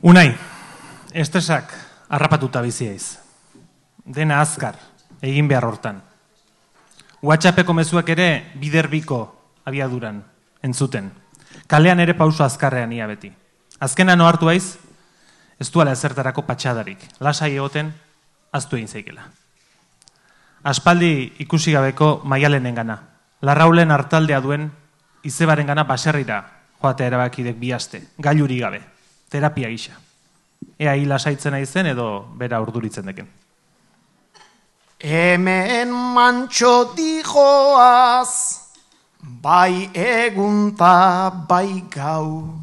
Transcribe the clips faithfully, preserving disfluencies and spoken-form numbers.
Unai, estresak harrapatuta biziaiz. Dena azkar, egin behar hortan. WhatsAppeko mezuak ere biderbiko abiaduran, entzuten. Kalean ere pauso azkarrean ia beti. Azkena no hartu aiz, ez duala ezertarako patxadarik. Lasai egoten, aztu egin zeikela. Aspaldi ikusi gabeko Maialenen gana. Larraulen hartaldea duen izebaren gana baserrira joatea erabakidek bihazte, gailuri gabe, terapia gisa. Ea hil lasaitzen aizen edo bera urduritzen deken. Hemen mantxo dijoaz, bai egunta bai gau.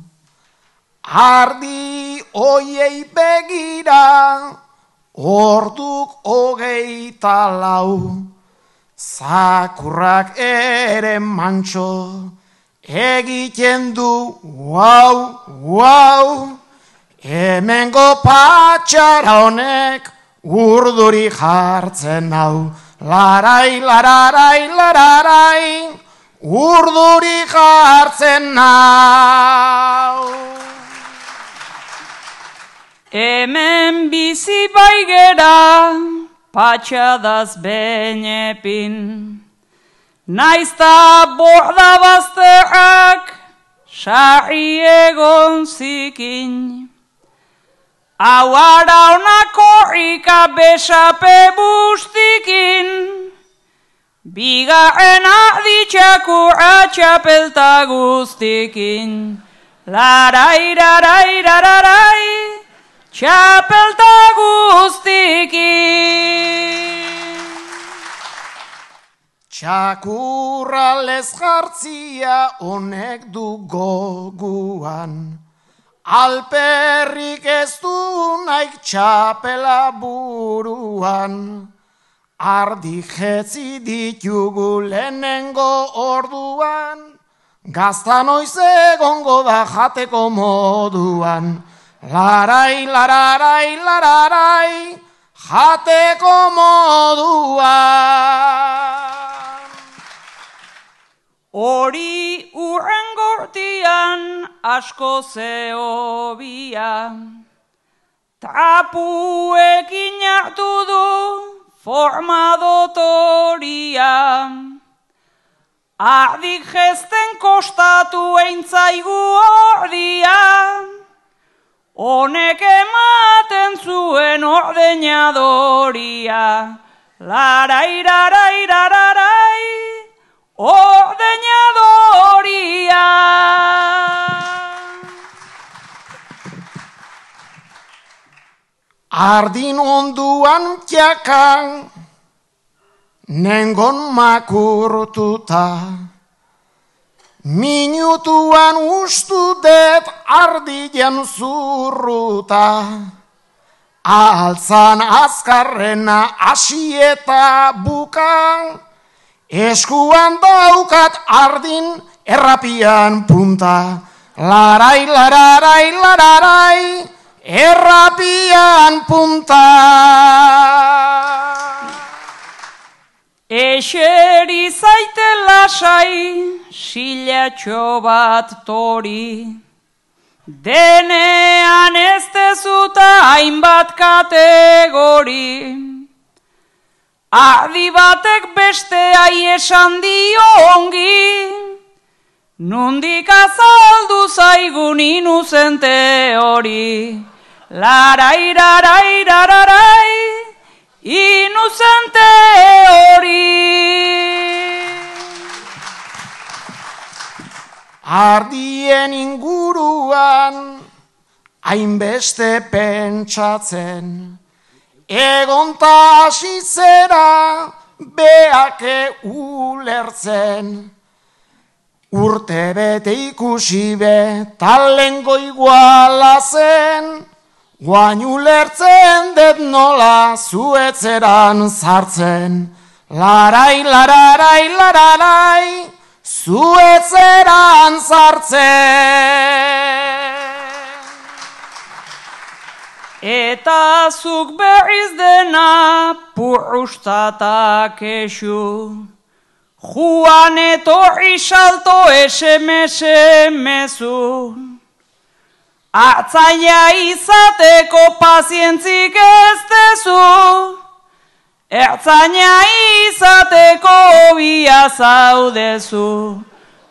Ardi oiei begira, orduk hogeita lau. Zakurrak ere mantxo, egiten du guau, guau. Hemengo patxara honek, urduri jartzen hau. Larai, lararai, lararai, urduri jartzen hau. Hemen bizi baigera, patxadaz benepin. Naizta borda bazterrak, sarri egon zikin. Hau araunako rika besape bustikin, bigarren arditxakurra txapelta guztikin. Larai, larai, larai, txapelta guztikin. Txakurra lez jartzia honek du goguan. Alperrik ez du naik txapela buruan. Ardi jetzi ditugu lehenengo orduan. Gazta noiz egongo da jateko moduan. Larai, lararai, lararai, jateko moduan. Hori urren gortian asko zehobia, trapuekin hartu du forma dotoria. Ardik jesten kostatu eintzaigu ordia, honek ematen zuen ordenadoria. Larai, larai, larai, ordenadoria. Ardin onduan txakan, nengon makurtuta. Minutuan ustu det ardian zurruta. Altzan azkarrena asieta buka. Eskuan daukat ardin errapian punta. Larai, lararai, lararai, errapian punta. Eseri zaite lasai, silatxo bat tori. Denean ez dezuta hainbat kategori. Ardi batek besteai esan dio ongi, nondik azaldu zaigun inuzente hori. Larai, larai, larai, inuzente hori. Ardien inguruan, hainbeste pentsatzen, egonta hasitzera beake ulertzen. Urte bete ikusi be talengo iguala zen, guain ulertzen det nola zuetzeran sartzen. Larai, lararai, lararai, zuetzeran sartzen. Eta zuk berriz dena purrustata kexu, Juan etorri salto esemese mezu. Artzaina izateko pazientzik ez dezu, ertzaina izateko bia zaudezu.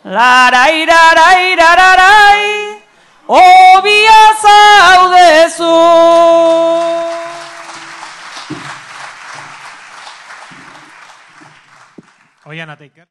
Larairarairarai, obia zaudezu. Oian Ateiker.